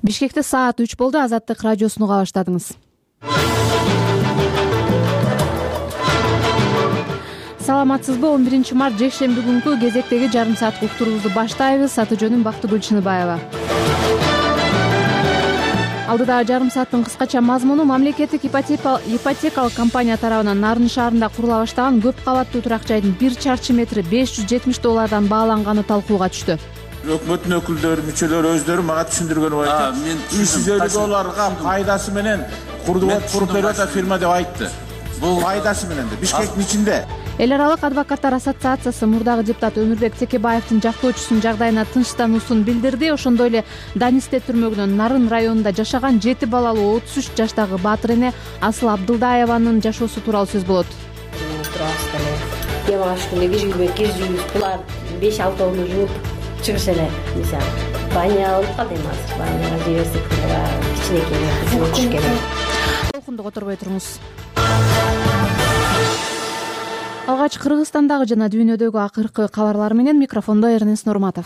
Бишкекте саат 3 болду. Азаттык радиосуну уга баштадыңыз. Саламатсызбы? 11-март жекшемби күнкү кезектеги жарым сааттык уктуруубузду баштайбыз. Аты жөнүм Бактыгүл Чыныбаева. Алдыдагы жарым сааттын кыскача мазмуну: мамлекеттик ипотекалык компания тарабынан Нарын шаарында курула баштаган көп кабаттуу турак жайдын 1 чарчы метри $570 бааланганы талкууга түштү. Өкмөттүн өкүлдөрү, мүчөлөрү өздөрү мага түшүндүргөнү айтты. $350 пайдасы менен куруп берип атат фирма деп айтты. Бул пайдасы менен да Бишкектин ичинде. Эл аралык адвокаттар ассоциациясы мурдагы депутат Өмүрбек Текебаевдин жактоочусунун жагдайына тынчтануусун билдирди. Ошондой эле Данисте түрмөгүнөн Нарын районунда жашаган 7 балалуу 33 жаштагы Баатыр эне Асыл Абдылдаеванын жашоосу тууралуу сөз болот. Демаш күнү киржибиз булар 5-6 жууп чыгыш эле. Мисалы, баня алып калды эми азыр. Баняга жиберсек кичинекей кызым түшкөн. Толкунду которбой туруңуз. Алгач Кыргызстандагы жана дүйнөдөгү акыркы кабарлар менен микрофондо Эрнест Нурматов.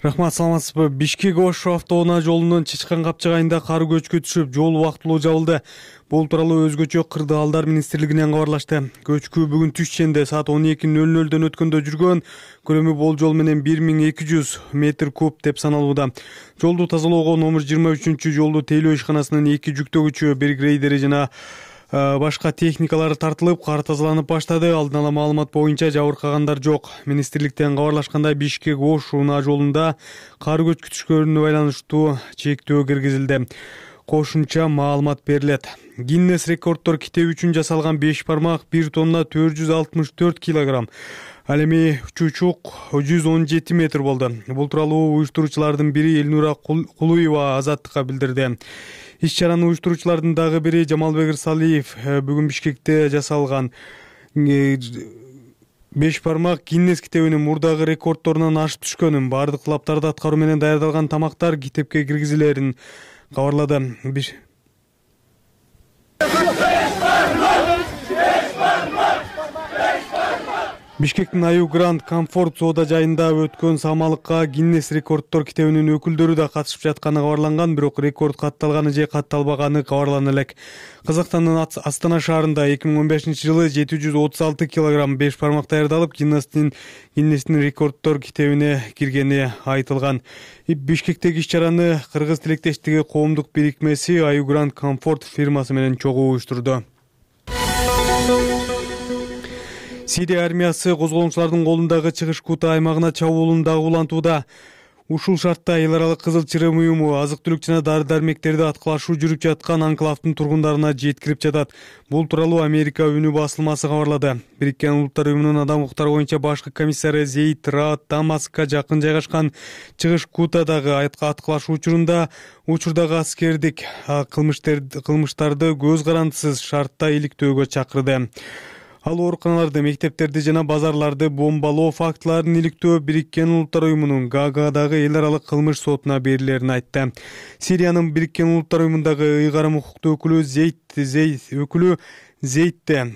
Рахмат, саламатсызбы? Бишкек-Ош автоунаа жолунун Чычкан капчыгайында кар көчкү түшүп, жол убактылуу жабылды. Бул тууралуу өзгөчө Кырдаалдар министрлигинен кабарлашты. Көчкү бүгүн түш ченде саат 12:00 өткөндө жүргөн. Көлөмү болжол менен 1200 метр куб деп саналууда. Жолду тазалоого номер 23 жолду тейлөө ишканасынын 2 жүктөгүчү, 1 грейдери жана башка техникалары тартылып, кар тазаланып баштады. Алдын ала маалымат боюнча жабыркагандар жок. Министрликтен кабарлашкандай, Бишкек-Ош унаа жолунда кар көчкү түшкөнүнө байланыштуу чектөө киргизилди. Кошумча маалымат берилет. Гиннес рекорддор китеби үчүн жасалган 5 бармак 1 тонна 464 килограмм. Ал эми чучук 117 метр болду. Бул тууралуу уюштуруучулардын бири Элнура Кулуева Азаттыкка билдирди. Иш-чараны уюштуруучулардын дагы бири Жамалбек Ырсалиев бүгүн Бишкекте жасалган 5 бармак Гиннес китебинин мурдагы рекордторунан ашып түшкөнүн, бардык талаптарды аткаруу менен даярдалган тамактар китепке киргизилерин кабарлады. Бишкектин Аю Гранд Комфорт соода жайында өткөн самалыкка Гиннес рекорддор китебинин өкүлдөрү да катышып жатканы кабарланган, бирок рекорд катталганы же катталбаганы кабарлана элек. Казакстандын Астана шаарында 2015-жылы 736 килограмм 5 бармак даярдалып, Гиннестин рекорддор китебине киргени айтылган. Бишкектеги иш-чараны Кыргыз тилектештиги коомдук бирикмеси Аю Гранд Комфорт фирмасы менен чогуу уюштурду. Сирия армиясы козголоңчулардын колундагы чыгыш Кута аймагына чабуулун дагы улантууда. Ушул шартта эл аралык Кызыл Чырым уюму азык-түлүк жана дары-дармектерди аткылашуу жүрүп жаткан анклавдын тургундарына жеткирип жатат. Бул тууралуу Америка үнү басылмасы кабарлады. Бириккен Улуттар уюмунун адам укуктары боюнча башкы комиссары Зейд Раат Дамаскка жакын жайгашкан чыгыш Кутадагы аткылашуу учурдагы аскердик кылмыштарды көз карандысыз шартта иликтөөгө чакырды. Ал ооруканаларды, мектептерди жана базарларды бомбалоо фактыларын иликтөө Бириккен Улуттар уюмунун Гаагадагы эл аралык кылмыш сотуна берилерин айтты. Сириянын Бириккен Улуттар уюмундагы ыйгарым укуктуу өкүлү Зейдте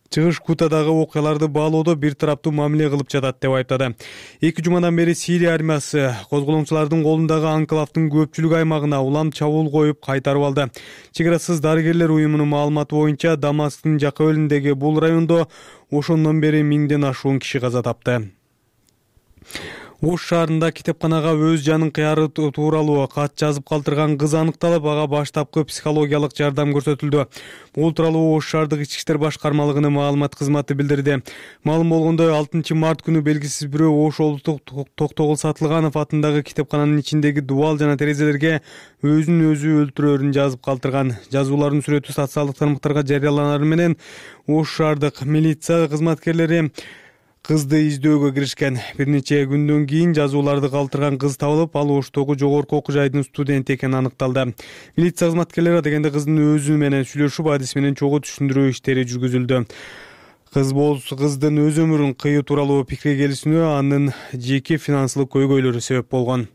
чыгыш Кутадагы окуяларды баалоодо бир тараптуу мамиле кылып жатат деп айыптады. 2 жумадан бери Сирия армиясы козголоңчулардын колундагы анклавдын көпчүлүк аймагына улам чабуул коюп кайтарып алды. Чек-арасыз дарыгерлер уюмунун маалыматы боюнча Дамасктын жакы-өлүндөгү бул райондо ошондон бери 1000ден ашуун киши каза тапты. Ош шаарында китепканага өз жанын кыяры тууралуу кат жазып калтырган кыз аныкталып, ага баштапкы психологиялык жардам көрсөтүлдү. Бул тууралуу Ош шаардык ички иштер башкармалыгынын маалымат кызматы билдирди. Маалым болгондой, 6-март күнү белгисиз бирөө Ош облустук Токтогул Сатылганов атындагы китепкананын ичиндеги дубал жана терезелерге өзүн өзү өлтүрөөрүн жазып калтырган. Жазуулардын сүрөтү социалдык тармактарга жарыяланары менен Ош шаардык милиция кызматкерлери кызды издөөгө киришкен. Бир нече күндөн кийин жазууларды калтырган кыз табылып, ал Оштогу жогорку окуу жайдын студенти экени аныкталды. Милиция кызматкерлери дегенде кыздын өзү менен сүйлөшүп, адис менен чогуу түшүндүрүү иштери жүргүзүлдү. Кыздын өз өмүрүн кыюу тууралуу пикирге келишүүнө анын жеке финансылык көйгөйлөрү себеп болгон.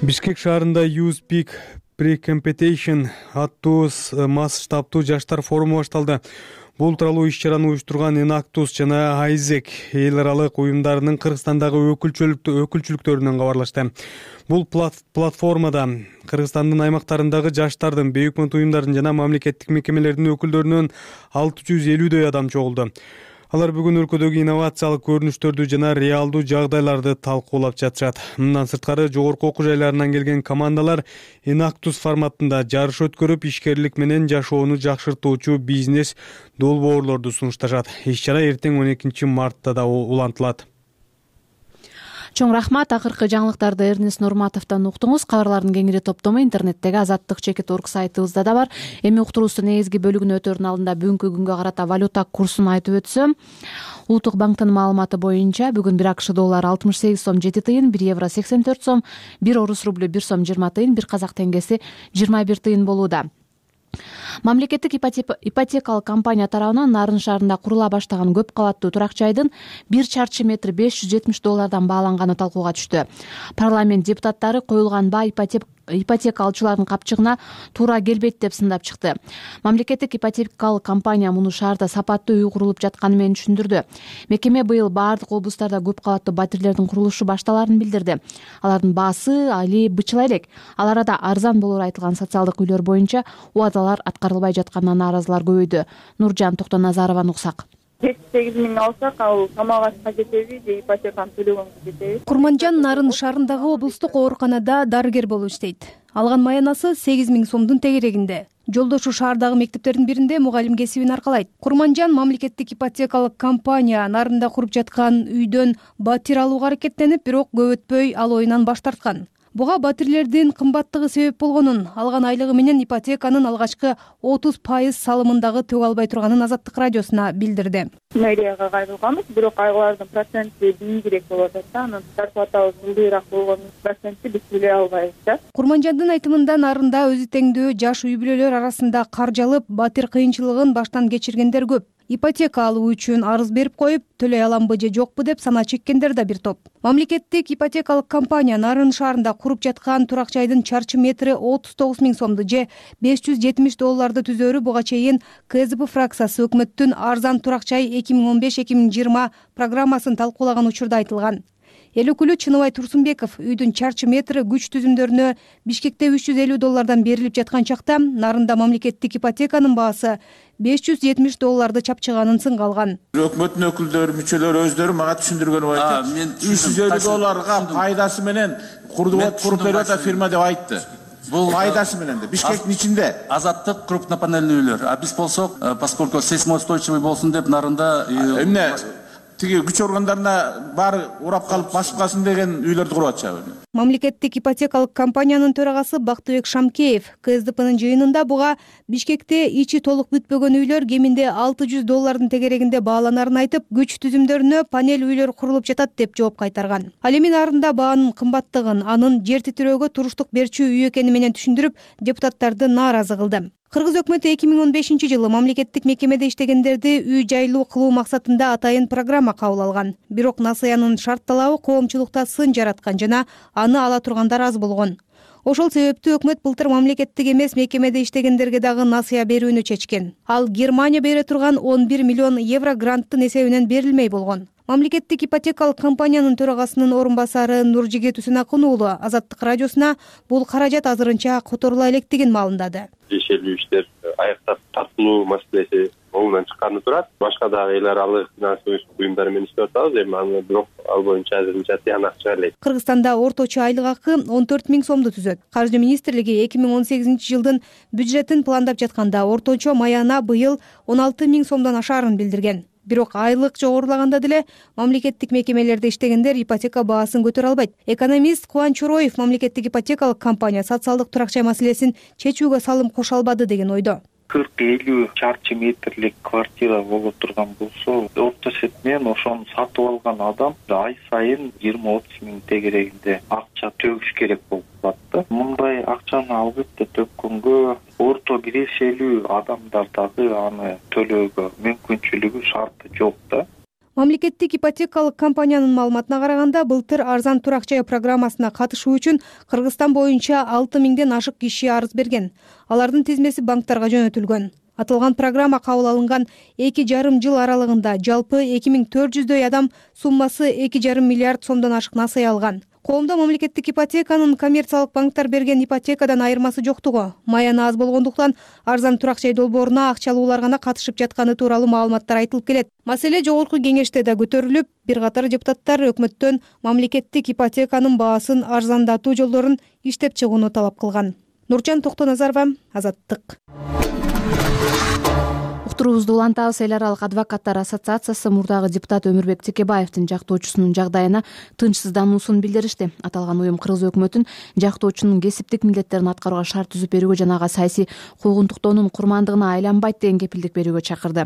Бишкек шаарында You Speak Pre-Competition аттуу масштабтуу жаштар форуму башталды. Бул тууралуу иш-чараны уюштурган Enactus жана Айзек эл аралык уюмдарынын Кыргызстандагы өкүлчүлүктөрүнөн кабарлашты. Бул платформада Кыргызстандын аймактарындагы жаштардын, бейөкмөт уюмдардын жана мамлекеттик мекемелердин өкүлдөрүнөн 650дөй адам чогулду. Алар бүгүн өлкөдөгү инновациялык көрүнүштөрдү жана реалдуу жагдайларды талкуулап жатышат. Мындан сырткары жогорку окуу жайларынан келген командалар Enactus форматында жарыш өткөрүп, ишкерлик менен жашоону жакшыртуучу бизнес долбоорлорду сунушташат. Иш-чара эртең 12 мартта да улантылат. Чоң рахмат. Акыркы жаңылыктарды Эрнест Нурматовдон уктуңуз. Кабарлардын кеңири топтому интернеттеги azattik.org сайтыбызда да бар. Эми уктуруубуздун негизги бөлүгүнө өтөөрдүн алдында бүгүнкү күнгө карата валюта курсун айтып өтсөм, Улуттук банктын маалыматы боюнча бүгүн 1 АКШ доллары 68 сом 7 тыйын, 1 евро 84 сом, 1 орус рублю 1 сом 20 тыйын, 1 казак теңгеси 21 тыйын болууда. Мамлекеттик ипотекалык компания тарабынан Нарын шаарында курула баштаган көп кабаттуу турак жайдын 1 чарчы метр 570 доллардан бааланганы талкууга түштү. Парламент депутаттары коюлган баа ипотека алуучулардын капчыгына туура келбейт деп сындап чыкты. Мамлекеттик ипотекалык компания муну шаарда сапаттуу үй курулуп жатканы менен түшүндүрдү. Мекеме быйыл баардык облустарда көп кабаттуу батирлердин курулушу башталарын билдирди. Алардын баасы али бычыла элек. Ал арада арзан болоору айтылган социалдык үйлөр боюнча убадалар аткарылбай жатканына нааразылар көбөйдү. Нуржан Токтоназарованы уксак. 8 миң алсак, ал камагачка жетеби же ипотеканы төлөгөнгө жетеби? Курманжан Нарын шаарындагы облустук ооруканада дарыгер болуп иштейт. Алган маянасы 8 миң сомдун тегерегинде. Жолдошу шаардагы мектептердин биринде мугалим кесибин аркалайт. Курманжан мамлекеттик ипотекалык компания Нарында куруп жаткан үйдөн батир алууга аракеттенип, бирок көп өтпөй ал оюнан баш тарткан. Буга батирлердин кымбаттыгы себеп болгонун, алган айлыгы менен ипотеканын алгачкы 30% салымындагы төгө албай турганын Азаттык радиосуна билдирди. Мэрияга кайрылганбыз, бирок айлардын проценти бийигирээк болуп атат. Анын зарплатабыз ылдыйраак болгону процентти биз биле албайбыз. Курманжандын айтымында Нарында өзү теңдүү жаш үй бүлөлөр арасында каржалып, батир кыйынчылыгын баштан кечиргендер көп. Ипотека алуу үчүн арыз берип коюп, төлөй аламбы же жокпу деп сана чеккендер да бир топ. Мамлекеттик ипотекалык компания Нарын шаарында куруп жаткан турак жайдын чарчы метри 39 миң сомду же 570 долларды түзөөрү буга чейин КСДП фракциясы өкмөттүн арзан турак жай 2015-2020 программасын талкуулаган учурда айтылган. Эл өкүлү Чыныбай Турсунбеков үйдүн чарчы метри күч түзүмдөрүнө Бишкекте 350 доллардан берилип жаткан чакта Нарында мамлекеттик ипотеканын баасы 570 долларды чапчыганын сынга алган. Өкмөттүн өкүлдөрү, мүчөлөрү өздөрү мага түшүндүргөнү айтты. 350 долларга пайдасы менен куруп берип атат фирма деп айтты. Бул пайдасы менен да Бишкектин ичинде. Азаттык крупнопанельный үйлөр. А биз болсок, поскольку сейсмоустойчивый болсун деп Нарында эмне тиги күч органдарына баары урап калып басып калсын деген үйлөрдү куруп атышабы? Мамлекеттик ипотекалык компаниянын төрагасы Бактыбек Шамкеев КСДПнын жыйынында буга Бишкекте ичи толук бүтпөгөн үйлөр кеминде 600 доллардын тегерегинде бааланарын айтып, күч түзүмдөрүнө панель үйлөр курулуп жатат деп жооп кайтарган. Ал эми Нарында баанын кымбаттыгын, анын жер титирөөгө туруштук берчү үй экени менен түшүндүрүп, депутаттарды нааразы кылды. Кыргыз өкмөтү 2015-жылы мамлекеттик мекемеде иштегендерди үй жайлуу кылуу максатында атайын программа кабыл алган. Бирок насыянын шарт талабы коомчулукта сын жараткан жана аны ала тургандар аз болгон. Ошол себептүү өкмөт былтыр мамлекеттик эмес мекемеде иштегендерге дагы насыя берүүнү чечкен. Ал Германия бере турган 11 миллион евро гранттын эсебинен берилмей болгон. Мамлекеттик ипотекалык компаниянын төрагасынын орун басары Нуржигит Усенакун уулу Азаттык радиосуна бул каражат азырынча которула электигин маалымдады. Тиешелүү иштер аяктап тартылуу маселеси оңунан чыкканы турат. Башка дагы эл аралык финансылык буюмдар менен иштеп атабыз. Эми аны бирок ал боюнча азырынча тыянак чыга элек. Кыргызстанда орточо айлык акы 14 миң сомду түзөт. Каржы министрлиги 2018-жылдын бюджетин пландап жатканда орточо маяна быйыл 16 миң сомдон ашаарын билдирген. Бирок айлык жогорулаганда деле мамлекеттик мекемелерде иштегендер ипотека баасын көтөрө албайт. Экономист Кубанч Чороев мамлекеттик ипотекалык компания социалдык турак жай маселесин чечүүгө салым кошо албады деген ойдо. 40-50 чарчы метрлик квартира болуп турган болсо, орто эсепмен ошону сатып алган адам ай сайын 20-30 миң тегерегинде акча төгүш керек болуп калат. Мындай акчаны албетте төккөнгө орто кирешелүү адамдар дагы аны төлөөгө мүмкүнчүлүгү шарты жок да. Мамлекеттик ипотекалык компаниянын маалыматына караганда, былтыр арзан турак жай программасына катышуу үчүн Кыргызстан боюнча 6 миңден ашык киши арыз берген. Алардын тизмеси банктарга жөнөтүлгөн. Аталган программа кабыл алынган 2,5 жыл аралыгында жалпы 2400дөй адам суммасы 2,5 миллиард сомдон ашык насыя алган. Коомдо мамлекеттик ипотеканын коммерциялык банктар берген ипотекадан айырмасы жоктугу, маяны аз болгондуктан арзан турак жай долбооруна акчалуулар гана катышып жатканы тууралуу маалыматтар айтылып келет. Маселе жогорку кеңеште да көтөрүлүп, бир катар депутаттар өкмөттөн мамлекеттик ипотеканын баасын арзандатуу жолдорун иштеп чыгууну талап кылган. Нуржан Токтоназарова, Азаттык. Уктуруубузду улантабыз. Эл аралык адвокаттар ассоциациясы мурдагы депутат Өмүрбек Текебаевдин жактоочусунун жагдайына тынчсыздануусун билдиришти. Аталган уюм Кыргыз өкмөтүн жактоочунун кесиптик милдеттерин аткарууга шарт түзүп берүүгө жана ага саясий куугунтуктоонун курмандыгына айланбайт деген кепилдик берүүгө чакырды.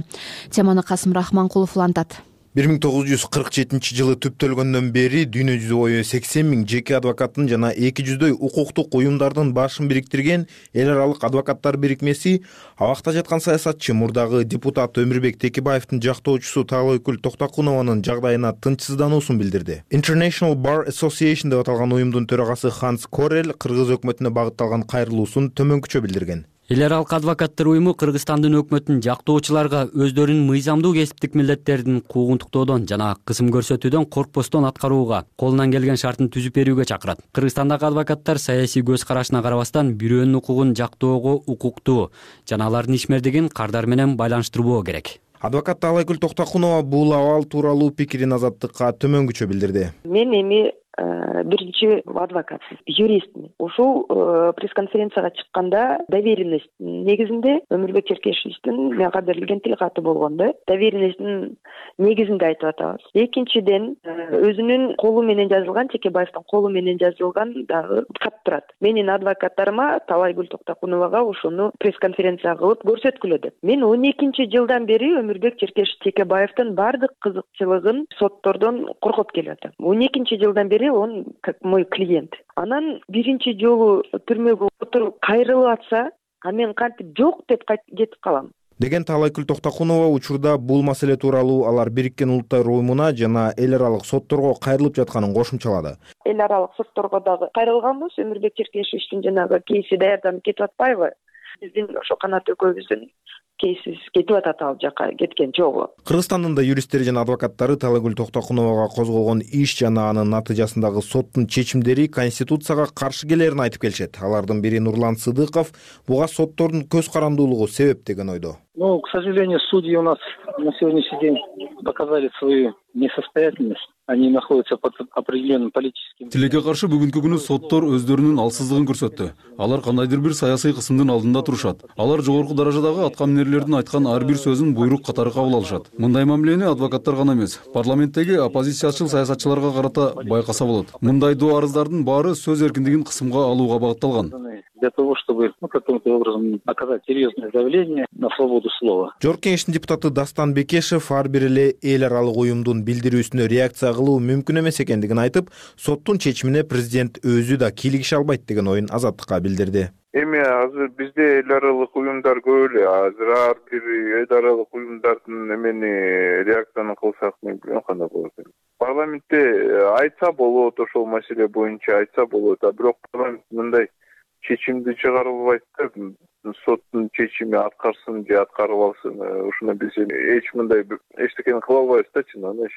Теманы Касым Рахманкулов улантат. 1947 жылы түптөлгөндөн бери дүйнө жүзү бою 80 000 жеке адвокаттын жана 200дөй укуктук уюмдардын башын бириктирген эл аралык адвокаттар бирикмеси абакта жаткан саясатчы мурдагы депутат Өмүрбек Текебаевдин жактоочусу Таалайкүл Токтокунованын жагдайына тынчсыздануусун билдирди. International Bar Association деп аталган уюмдун төрагасы Ханс Корел кыргыз өкмөтүнө багытталган кайрылуусун төмөнкүчө билдирген. Эл аралык адвокаттар уюму Кыргызстандын өкмөтүн жактоочуларга өздөрүнүн мыйзамдуу кесиптик милдеттерин куугунтуктоодон жана кысым көрсөтүүдөн коркпостон аткарууга колунан келген шартын түзүп берүүгө чакырат. Кыргызстандагы адвокаттар саясий көз карашына карабастан бирөөнүн укугун жактоого укуктуу жана алардын ишмердигин кардар менен байланыштырбоо керек. Адвокат Таалайкүл Токтокунова бул абал тууралуу пикирин Азаттыкка төмөнкүчө билдирди. Мен эми биринчи адвокат, юристмин. Ушул пресс-конференцияга чыкканда доверенность негизинде Өмүрбек Черкешевичтин мен кадырлеген тил каты болгондо доверенностьтин негизинде айтып атабыз. Экинчиден өзүнүн колу менен жазылган, Текебаевдин колу менен жазылган дагы кат турат. Менин адвокаттарыма Таалайкүл Токтокуновага ошону пресс-конференция кылып көрсөткүлөдү. Мен 12 жылдан бери Өмүрбек Черкешев Текебаевдин бардык кызыкчылыгын соттордон коргоп келип атам. 12 жылдан бери он как мой клиент. Анан биринчи жолу түрмөгө отуруп кайрылып атса, а мен кантип жок деп кетип калам деген Таалайкүл Токтокунова учурда бул маселе тууралуу алар Бириккен Улуттар уюмуна жана эл аралык сотторго кайрылып жатканын кошумчалады. Эл аралык сотторго дагы кайрылганбыз. Өмүрбек Черкешевичтин жанагы кейси даярданып кетип атпайбы? Биздин ошо канат экөөбүздүн кейсиз кетип атат ал жака кеткен жолу. Кыргызстандын да юристтери жана адвокаттары Таалайкүл Токтокуновага козголгон иш жана анын натыйжасындагы соттун чечимдери конституцияга каршы келерин айтып келишет. Алардын бири Нурлан Сыдыков буга соттордун көз карандуулугу себеп деген ойдо. Ну, к сожалению, судьи у нас на сегодняшний день показали свою несостоятельность. Они находятся под определенным политическим... Тилекке каршы бүгүнкү күнү соттор өздөрүнүн алсыздыгын көрсөттү. Алар кандайдыр бир саясий кысымдын алдында турушат. Алар жогорку даражадагы аткаминерлердин айткан ар бир сөзүн буйрук катары кабыл алышат. Мындай мамилени адвокаттар гана эмес, парламенттеги оппозициячыл саясатчыларга карата байкаса болот. Мындай доо арыздардын баары сөз эркиндигин кысымга алууга багытталган. Для того, чтобы каким-то образом оказать серьезное давление на свободу слова. Жогорку кеңештин депутаты Дастан Бекешев ар бир эле эл аралык уюмдун билдирүүсүнө реакция кылуу мүмкүн эмес экендигин айтып, соттун чечимине президент өзү да кийлигише албайт деген оюн Азаттыкка билдирди. Эми азыр бизде эл аралык уюмдар көп эле. Азыр ар бир эл аралык уюмдардын эмени реакцияны кылсак мен билбейм кандай болот. Парламентте айтса болот, ошол маселе боюнча айтса болот, бирок парламент мындай чечимди чыгарып албайт да, соттун чечими аткарсын же аткарып алсын, ушуну биз эч мындай эчтекени кыла албайбыз да, чынында.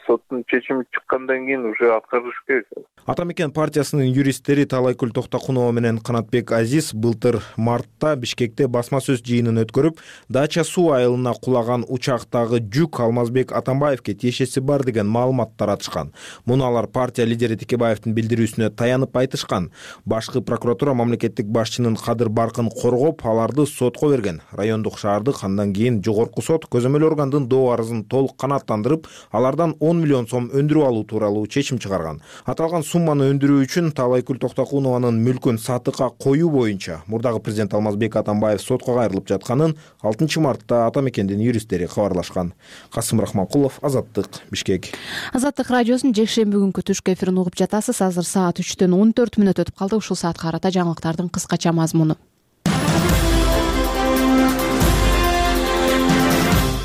Соттун чечими чыккандан кийин уже аткарыш керек. Ата Мекен партиясынын юристтери Таалайкүл Токтокунова менен Канатбек Азиз былтыр мартта Бишкекте басма сөз жыйынын өткөрүп, Дача суу айылына кулаган учактагы жүк Алмазбек Атамбаевке тиешеси бар деген маалымат таратышкан. Муну алар партия лидери Текебаевдин билдирүүсүнө таянып айтышкан. Башкы прокуратура мамлекеттик башчынын кадыр баркын коргоп, аларды сотко берген. Райондук шаардык андан кийин жогорку сот көзөмөл органдын доо арызын толук канааттандырып, алардан 10 миллион сом өндүрүп алуу тууралуу чечим чыгарган. Аталган сумманы өндүрүү үчүн Таалайкүл Токтокунованын мүлкүн сатыкка коюу боюнча мурдагы президент Алмазбек Атамбаев сотко кайрылып жатканын 6 мартта Ата Мекендин юристтери кабарлашкан. Касым Рахманкулов, Азаттык, Бишкек. Азаттык радиосунун жекшемби күнкү түшкү эфирин угуп жатасыз. Азыр саат 3-төн 14 мүнөт өтүп калды. Ушул саатка карата жаңылыктардын кыскача мазмуну.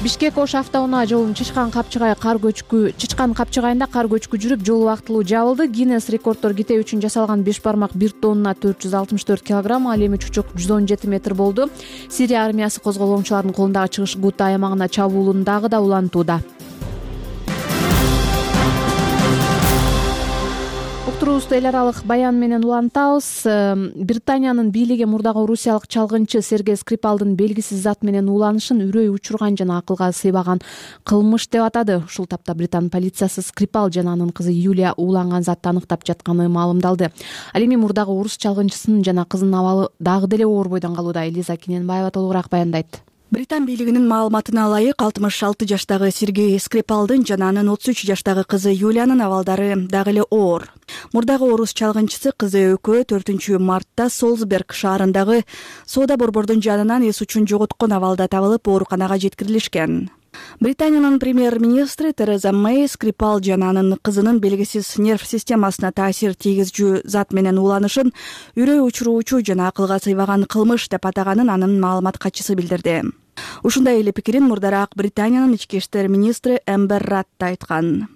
Бишкек Ош автоунаа жолунун Чычкан Капчыгайында кар көчкү жүрүп, жол убактылуу жабылды. Гиннес рекорддор китеби үчүн жасалган 5 бармак 1 тонна 464 килограмм, ал эми чучук 117 метр болду. Сирия армиясы козголоңчулардын колундагы чыгыш Гута аймагына чабуулун дагы да улантууда. Уктуруубузду эл аралык баян менен улантабыз. Британиянын бийлиги мурдагы орусиялык чалгынчы Сергей Скрипалдын белгисиз зат менен ууланышын үрөй учурган жана акылга сыйбаган кылмыш деп атады. Ушул тапта Британ полициясы Скрипал жана анын кызы Юлия ууланган затты аныктап жатканы маалымдалды. Ал эми мурдагы орус чалгынчысынын жана кызынын абалы дагы деле оор бойдон калууда. Элиза Киненбаева толугураак баяндайт. Британ бийлигинин маалыматына ылайык 66 жаштагы Сергей Скрипалдын жана анын 33 жаштагы кызы Юлиянын абалдары дагы эле оор. Мурдагы орус чалгынчысы кызы экөө 4-мартта Солсберг шаарындагы соода борбордун жанынан эс учун жоготкон абалда табылып, ооруканага жеткирилишкен. Британиянын премьер-министри Тереза Мэй Скрипал жана анын кызынын белгисиз нерв системасына таасир тийгизчү зат менен ууланышын үрөй учуруучу жана акылга сыйбаган кылмыш деп атаганын анын маалымат катчысы билдирди. Ушундай эле пикирин мурдараак Британиянын ички иштер министри Эмбер Радд айткан.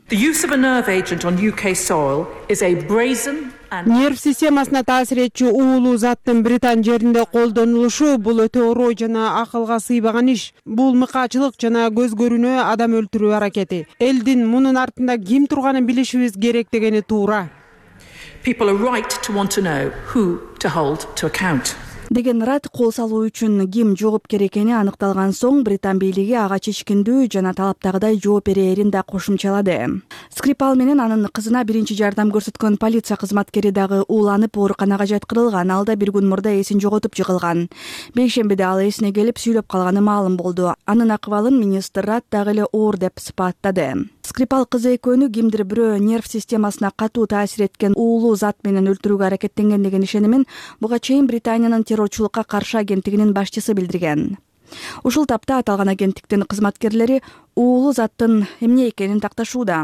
Нерв системасына таасир этчү уулуу заттын Британ жеринде колдонулушу бул өтө орой жана акылга сыйбаган иш. Бул мыкаачылык жана көз көрүнө адам өлтүрүү аракети. Элдин мунун артында ким турганын билишибиз керек дегени туура. Деген Радд кол салуу үчүн ким жоопкер экени аныкталган соң Британ бийлиги ага чечкиндүү жана талаптагыдай жооп берээрин да кошумчалады. Скрипал менен анын кызына биринчи жардам көрсөткөн полиция кызматкери дагы ууланып ооруканага жаткырылган. Ал да бир күн мурда эсин жоготуп жыгылган. Бейшембиде ал эсине келип сүйлөп калганы маалым болду. Анын акыбалын министр Радд дагы эле оор деп сыпаттады. Скрипал кызы экөөнү кимдир бирөө нерв системасына катуу таасир эткен уулуу зат менен өлтүрүүгө аракеттенген деген ишенимин буга чейин Британиянын террорчулукка каршы агенттигинин башчысы билдирген. Ушул тапта аталган агенттиктин кызматкерлери уулуу заттын эмне экенин такташууда.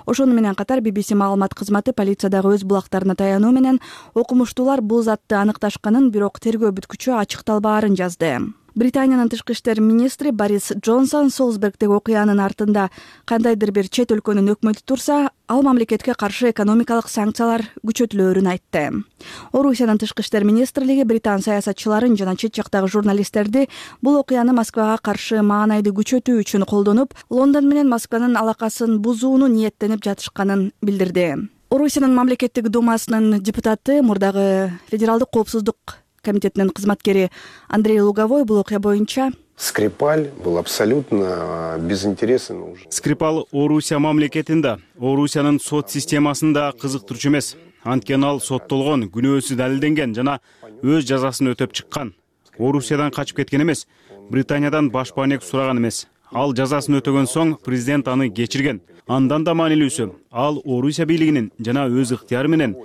Ошону менен катар BBC маалымат кызматы полициядагы өз булактарына таянуу менен окумуштуулар бул затты аныкташканын, бирок тергөө бүткүчү ачыкталбаарын жазды. Британиянын тышкы иштер министри Борис Джонсон Солсбергдеги окуянын артында кандайдыр бир чет өлкөнүн өкмөтү турса, ал мамлекетке каршы экономикалык санкциялар күчөтүлөөрүн айтты. Орусиянын тышкы иштер министрлиги британ саясатчыларын жана чет жактагы журналисттерди бул окуяны Москвага каршы маанайды күчөтүү үчүн колдонуп, Лондон менен Москванын алакасын бузууну ниеттенип жатышканын билдирди. Орусиянын мамлекеттик думасынын депутаты, мурдагы федералдык коопсуздук комитетинин кызматкери Андрей Луговой бул окуя боюнча: Скрипаль был абсолютно безинтересен уже. Скрипал Орусия мамлекетинде, Орусиянын сот системасында кызыктырчу эмес. Анткени ал соттолгон, күнөөсү далилденген жана өз жазасын өтөп чыккан. Орусиядан качып кеткен эмес, Британиядан баш баанек сураган эмес. Ал жазасын өтөгөн соң президент аны кечирген. Андан да маанилүүсү, ал Орусия бийлигинин жана өз ыктыяры менен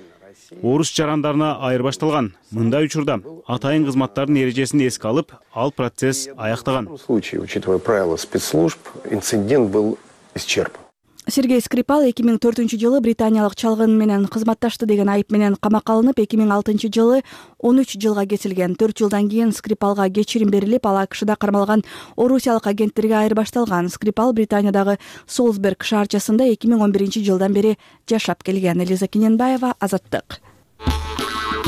орус жарандарына айырбашталган. Мындай учурда атайын кызматтардын эрежесин эске алып, ал процесс аяктаган. В случае, учитывая правила спецслужб, инцидент был исчерпан. Сергей Скрипал 2004-жылы британиялык чалгын менен кызматташты деген айып менен камакка алынып, 2006-жылы 13 жылга кесилген. 4 жылдан кийин Скрипалга кечирим берилип, ал АКШда кармалган орусиялык агенттерге айырбашталган. Скрипал Британиядагы Солсберг шаарчасында 2011-жылдан бери жашап келген. Элиза Киненбаева, Азаттык.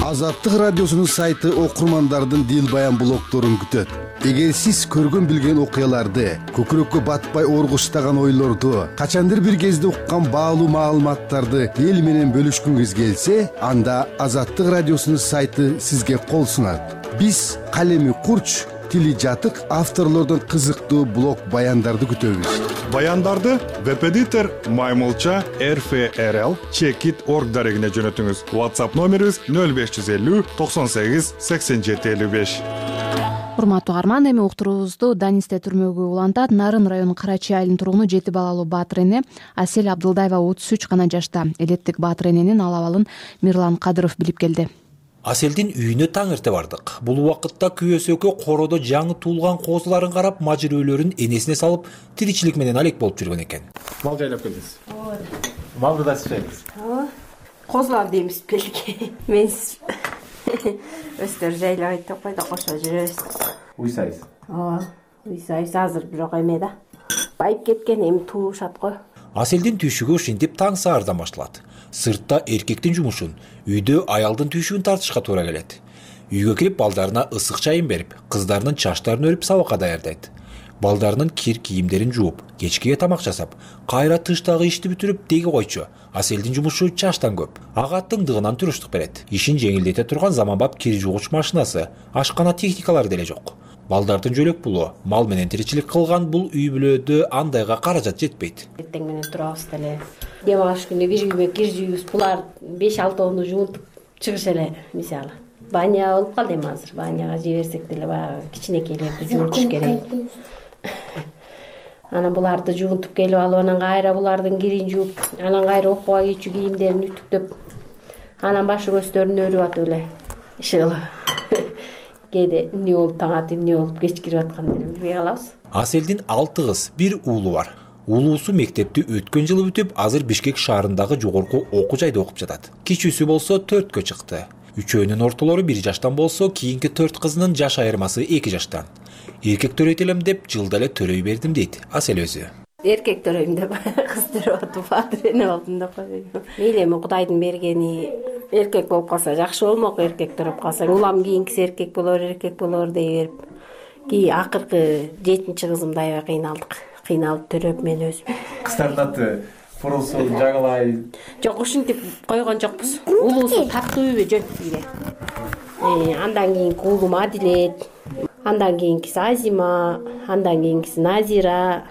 Азаттык радиосунун сайты окурмандардын дил баян блогдорун күтөт. Эгер сиз көргөн билген окуяларды, көкүрөккө батпай оргуштаган ойлорду, качандыр бир кезде уккан баалуу маалыматтарды эл менен бөлүшкүңүз келсе, анда Азаттык радиосунун сайты сизге кол сунат. Биз калеми курч, тили жатык авторлордон кызыктуу блог баяндарды күтөбүз. Баяндарды веб-эдитор Маймылча RFRL Checkit.org дарегине жөнөтүңүз. WhatsApp номерибиз 0550 98 87 55. Урматтуу угарман, эми уктуруубузду Данисте түрмөгү улантат. Нарын районунун Карачи айылынын тургуну 7 балалуу Баатыр эне Асель Абдылдаева 33 гана жашта. Элеттик Баатыр эненин ал абалын Мирлан Кадыров билип келди. Аселдин үйүнө таң эрте бардык. Бул убакытта күйөөсү экөө коодо жаңы туулган козуларын карап, мажырөөлөрүн энесине салып, тиричилик менен алек болуп жүргөн экен. Мал жайлап келдиңиз. Малды да сыйсыз. Козулар деймиз келге. Мен өстөр жайлабайт деп койдо, кошо жүрөбүз. Уйсайсыз. азыр бирок эме да байып кеткен, эми туушат го. Аселдин түйшүгү ушинтип таң саардан башталат. Сыртта эркектин жумушун, үйдө аялдын түйшүгүн тартышка туура келет. Үйгө кирип балдарына ысык чайын берип, кыздарынын чачтарын өрүп сабакка даярдайт. Балдарынын кир кийимдерин жууп, кечкиге тамак жасап, кайра тыштагы ишти бүтүрүп деги койчу. Аселдин жумушу чачтан көп. Ага тыңдыгынан туруштук берет. Ишин жеңилдете турган заманбап кир жуугуч машинасы, ашкана техникалары деле жок. Балдардын жөлөк пулу, мал менен тиричилик кылган бул үй бүлөдө андайга каражат жетпейт. Эртең менен турабыз деле. Дем аш күнү бир үйгө кир жууйбуз. Булар 5-6 жуунтуп чыгыш эле, мисалы. Баня болуп калды эми азыр. Баняга жиберсек деле баягы кичинекейлерди жуунтуш керек. Анан буларды жуунтуп келип алып, анан кайра булардын кирин жууп, анан кайра окууга кийчү кийимдерин үтүктөп, анан башы көздөрүн өрүп атып эле иши кээде эмне болуп таң атып, эмне болуп кеч кирип аткандарын билбей калабыз. Аселдин 6 кыз, 1 уулу бар. Уулуусу мектепти өткөн жылы бүтүп, азыр Бишкек шаарындагы жогорку окуу жайда окуп жатат. Кичүүсү болсо 4кө чыкты. Үчөөнүн ортолору 1 жаштан болсо, кийинки 4 кызынын жаш айырмасы 2 жаштан. Эркек төрөйт элем деп жылда эле төрөй бердим дейт Асел өзү. Эркек төрөйм деп кыз төрөп атып фатирене болдум деп койдум. Мейли эми Кудайдын бергени, эркек болуп калса жакшы болмок, эркек төрөп калсаң. Улам кийинкиси эркек болор дей берип. Кийин акыркы 7-чи кызымда аябай кыйналдык. Кыйналып төрөп мен өзүм. Кыздардын аты Фурусу, Жагалай. Жок, ушинтип койгон жокпуз. Улуусу Таттууби жөнтүгү. Андан кийинки уулум Адилет, андан кийинкиси Азима, андан кийинкиси Назира,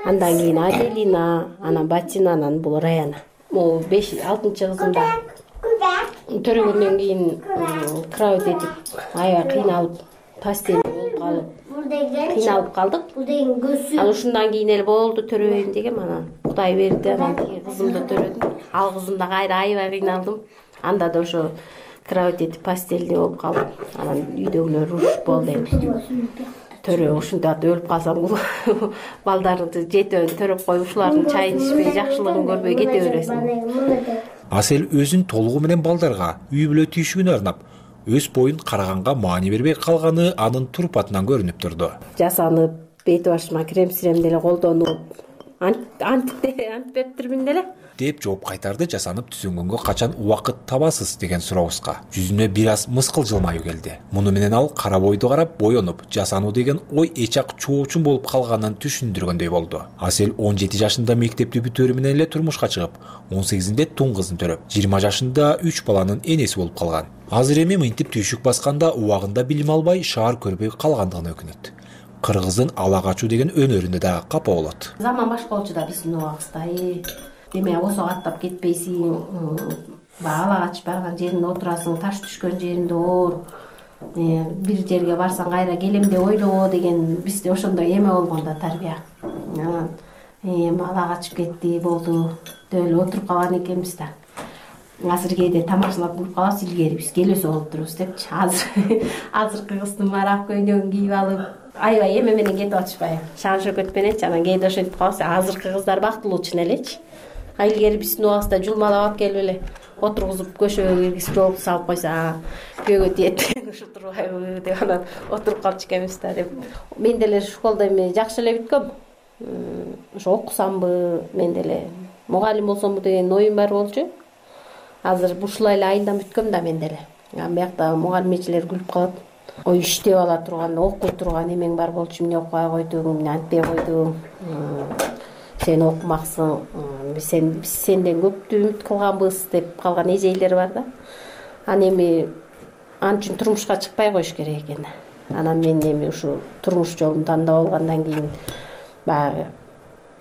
андан кийин Аделина, анан Батина, анан бул Раяна. Могу 5-6-чы кызымда төрөгөндөн кийин кровать этип аябай кыйналып, постель болуп калып, кыйналып калдык. Анан ушундан кийин эле болду төрөбөйм дегем, анан Кудай берди, анан кызымды төрөдүм. Ал кызымда кайра аябай кыйналдым. Анда да ошо кровать этип постельде болуп калып, анан үйдөгүлөр урушуп болду эми. Төрөө ушундай атып өлүп калсам, балдарды жетөөнү төрөп коюп, ушулардын чайын ичпей, жакшылыгын көрбөй кете бересиң. Асел өзүн толугу менен балдарга, үй бүлө түйшүгүнө арнап, өз боюн караганга маани бербей калганы анын турпатынан көрүнүп турду. Жасанып, бет башыма крем-сирем деле колдонуп, антипептирмин деле деп жооп кайтарды жасанып түзөнгөнгө качан убакыт табасыз деген сурообузга. Жүзүнө бир аз мыскыл жылмаюу келди. Муну менен ал кара бойду карап боенуп, жасануу деген ой эчак чоочун болуп калганын түшүндүргөндөй болду. Асел 17 жашында мектепти бүтөөрү менен эле турмушка чыгып, 18-inde тун кызын төрөп, 20 жашында 3 баланын энеси болуп калган. Азыр эми мынтип түйшүк басканда убагында билим албай, шаар көрбөй калгандыгына өкүнөт. Кыргыздын ала качуу деген өнөрүнө да капа болот. Заман башка болчу да биздин убагыбызда. Деме осо аттап кетпейсиң, ала качып барган жериңде отурасың, таш түшкөн жериңде оор, бир жерге барсаң кайра келем деп ойлобо деген бизде ошондой эме болгон да тарбия. Ала качып кетти, болду деп эле отуруп калган экенбиз да. Азыр кээде тамашалап туруп калабыз, илгери биз келесо болуп турубуз депчи. Азыркы кыздын марак көйнөгүн кийип алып, аябай эме менен кетип атышпайбы? Шаан шөкөт мененчи, анан кээде ошентип калабыз. Азыркы кыздар бактылуу чын элечи. Илгери биздин убагыбызда жулмалап алып келип эле отургузуп көшөгө киргизип жолуп салып койсо, күйөөгө тиет ушу турбайбы деп анан отуруп калчу экенбиз да деп. Мен деле школдо эми жакшы эле бүткөм. Ошо окусамбы, мен деле мугалим болсомбу деген оюм бар болчу. Азыр ушулай эле айынан бүткөм да мен деле. Биякта мугалимчилер күлүп калат. Ой, иштеп ала турган, окуй турган эмең бар болчу, эмне окубай койдуң, эмне антпей койдуң. Сен окумаксың, биз сенден көптү үмүт кылганбыз деп калган эжейлер бар да. Анан эми ал үчүн турмушка чыкпай коюш керек экен. Анан мен эми ушу турмуш жолун тандап алгандан кийин баягы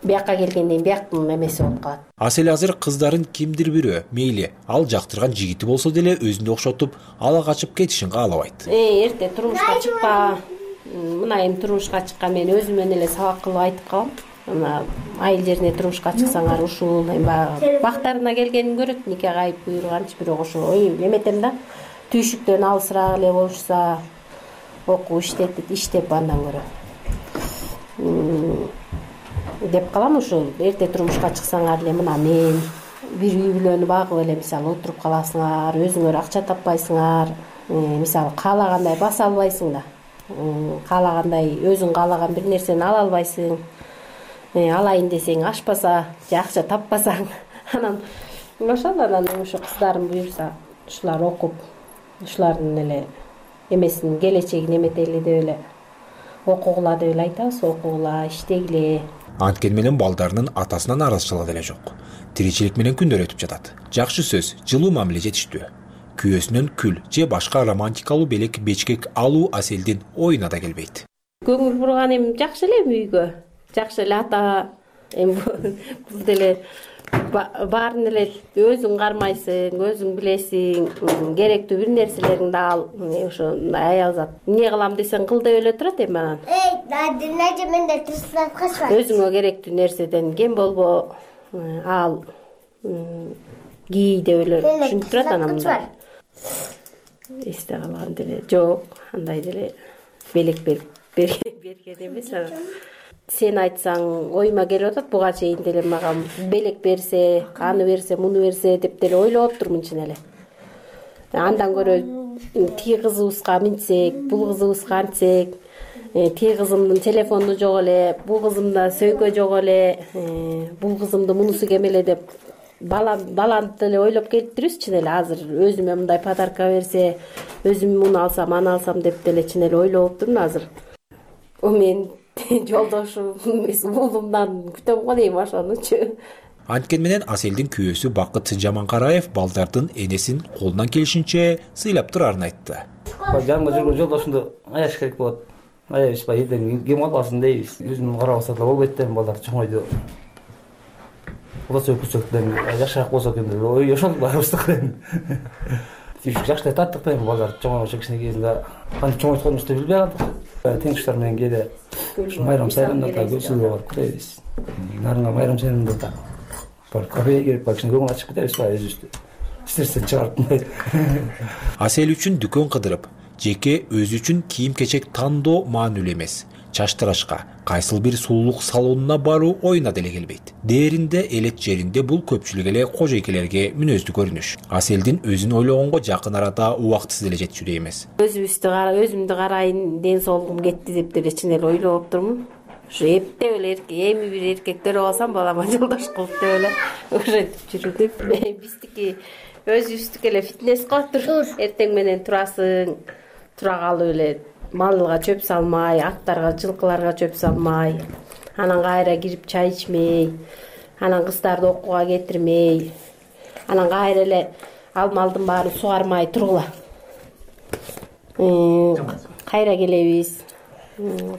биякка келгенден кийин бияктын эмеси болуп калат. Асел азыр кыздарын кимдир бирөө, мейли ал жактырган жигити болсо деле өзүндө окшотуп, ала качып кетишин каалабайт. Эрте турмушка чыкпа. Мына эми турмушка чыккан мен өзүмөн эле сабак кылып айтып калам. Мына айыл жерине турмушка чыксаңар ушул эми баягы бактарына келгенин көрөт, нике кайып буйруганчы, бирок ошо ой эметем да. Түйшүктөн алысыраак эле болушса, окуп иштеп андан көрө деп калам. Ушул эрте турмушка чыксаңар эле мына мен бир үй бүлөнү багып эле мисалы отуруп каласыңар, өзүңөр акча таппайсыңар, мисалы каалагандай баса албайсың да. каалагандай өзүң каалаган бир нерсени ала албайсың. Алайын десең ашпаса, же акча таппасаң, анан ошол ошо кыздарым буюрса ушулар окуп, ушулардын эле эмесин келечегин эметели деп эле окугула деп эле айтабыз, окугула, иштегиле. Анткени менен балдарынын атасынан наразычылыгы деле жок. Тиричилик менен күндөр өтүп жатат. Жакшы сөз, жылуу мамиле жетиштүү. Күйөөсүнөн күл же башка романтикалуу белек бечкек алуу Аселдин оюна да келбейт. Көңүл бурган эми жакшы эле үйгө. Жакшы эле ата, эми бул деле баарын эле өзүң кармайсың, өзүң билесиң, керектүү бир нерселериңди ал, ошо аял зат. Эмне кылам десең кыл деп эле турат эми анан. Өзүңө керектүү нерседен кем болбо, ал, кий деп эле түшүнүп турат анан мындай. Эсте калган деле жок, андай деле белек берген эмес анан. Сен айтсаң оюма келип атат, буга чейин деле мага белек берсе, аны берсе, муну берсе деп деле ойлоп турмун чын эле. Андан көрө тиги кызыбызга минтсек, бул кызыбызга антсек, тиги кызымдын телефону жок эле, бул кызымда сөйкө жок эле, бул кызымды мунусу кем эле деп баланы деле ойлоп кетиптирбиз чын эле. Азыр өзүмө мындай подарка берсе, өзүм муну алсам, аны алсам деп деле чын эле ойлоп турмун азыр. Мен жолдошум эмес уулумдан күтөм го дейм ошонучу. Анткени менен Аселдин күйөөсү Бакыт Жаманкараев балдардын энесин колунан келишинче сыйлап турарын айтты. Жанымда жүргөн жолдошумду аяш керек болот. Аябыз элден кем албасын дейбиз. Өзүм карап алса да болбойт да, балдар чоңойду. Кудасы өкүлчөктөн жакшыраак болсо экен деп ой ошол барыбыздыкы. Жакшы таттык да балдар чоңойгон кичине кезинде кантип чоңойтконубузду билбей калдык. Теңиштер менен кээде майрам сайрамдарда көзсүзгө барып кетебиз. Нарынга майрам сайрамдарда бар кафеге кирип кичине көңүл ачып кетебиз өзүбүздү. Стрессен чыгарып. Асел үчүн дүкөн кыдырып, жеке өзү үчүн кийим-кечек тандоо маанилүү эмес. Чачтырашка, кайсыл бир сулуулук салонуна баруу оюна деле келбейт. Дээринде элет жеринде бул көпчүлүк эле кожойкелерге мүнөздүү көрүнүш. Аселдин өзүн ойлогонго жакын арада убактысы деле жетчүдөй эмес. Өзүмдү карайын, ден соолугум кетти деп деле чын эле ойлоп турмун. Ушу эптеп эле эми бир эркек көрүп алсам балама жолдош кылып деп эле ошентип жүрүп. Биздики өзүбүздүкү эле фитнес го тур. Эртең менен турасың, тура калып эле малга чөп салмай, аттарга, жылкыларга чөп салмай, анан кайра кирип чай ичмей, анан кыздарды окууга кетирмей, анан кайра эле ал малдын баарын сугармай тургула. Кайра келебиз.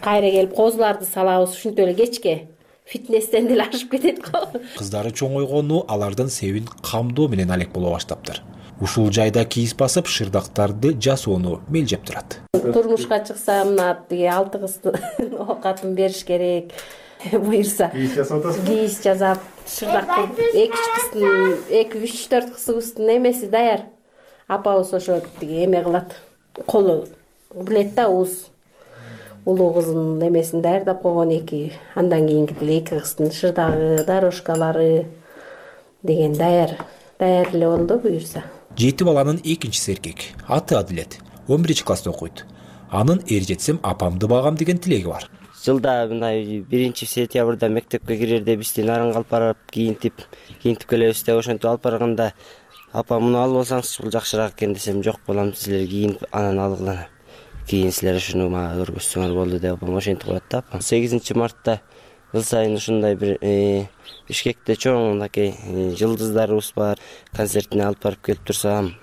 Кайра келип козуларды салабыз, ушинтип эле кечке фитнестен деле ашып кетет го. Кыздары чоңойгону алардын себин камдоо менен алек боло баштаптыр. Ушул жайда кийиз басып, шырдактарды жасоону мелжеп турат. Турмушка чыкса, мына тиги 6 кызды оокатын бериш керек. Буюрса, кийиз жасап, шырдак кылып, 2-3-4 кызыбыздын эмеси даяр. Апабыз ошо тиги эме кылат. Колу билет да уз. Улуу кызымдын эмесин даярдап койгон 2. Андан кийинки деле 2 кыздын шырдагы, дорожкалары деген даяр эле болду буюрса. 7 баланын экинчиси эркек. Аты Адилет. 11-класста окуйт. Анын эр жетсем апамды багам деген тилеги бар. Жылда мындай 1-сентябрда мектепке кирерде бизди нарынга алып барып, кийинтип келебиз деп ошентип алып барганда апа муну алып алсаңыз бул жакшыраак экен десем, жок балам силер кийинип анан алгыла. Кийин силер ушуну мага көргөзсөңөр болду деп апам ошентип коет да. 8 мартта жыл сайын ушундай бир Бишкекте чоң мынакей жылдыздарыбыз бар. Концертине алып барып келип турсам,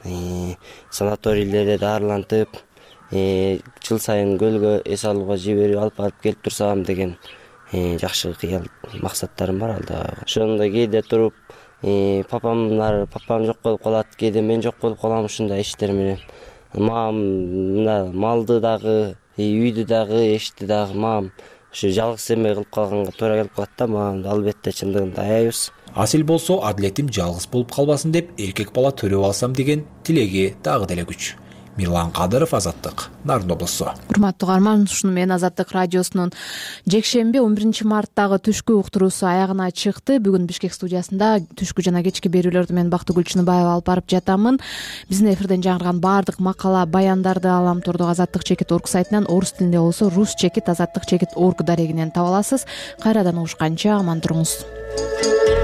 санаторийлерде даарылантып, жыл сайын көлгө эс алууга жиберип алып барып келип турсам деген жакшы кыял максаттарым бар алда. Ошондо кээде туруп папам жок болуп калат, кээде мен жок болуп калам ушундай иштер менен. Мына малды дагы, үйдү дагы, эшти дагы мам ушу жалгыз эме кылып калганга туура келип калат да, мага албетте чындыгында аябыз. Асел болсо Адилетим жалгыз болуп калбасын деп эркек бала төрөп алсам деген тилеги дагы деле күч. Мирлан Кадыров, Азаттык, Нарын облусу. Урматтуу угарман, ушуну менен Азаттык радиосунун жекшемби 11 марттагы түшкү уктуруусу аягына чыкты. Бүгүн Бишкек студиясында түшкү жана кечки берүүлөрдү мен Бактыгүл Чыныбаева алып барып жатамын. Биздин эфирден жаңырган баардык макала, баяндарды Аламтордук Азаттык-org сайтынан, орус тилинде болсо Rus-Azаттык-org дарегинен таба аласыз. Кайрадан угушканча аман туруңуз.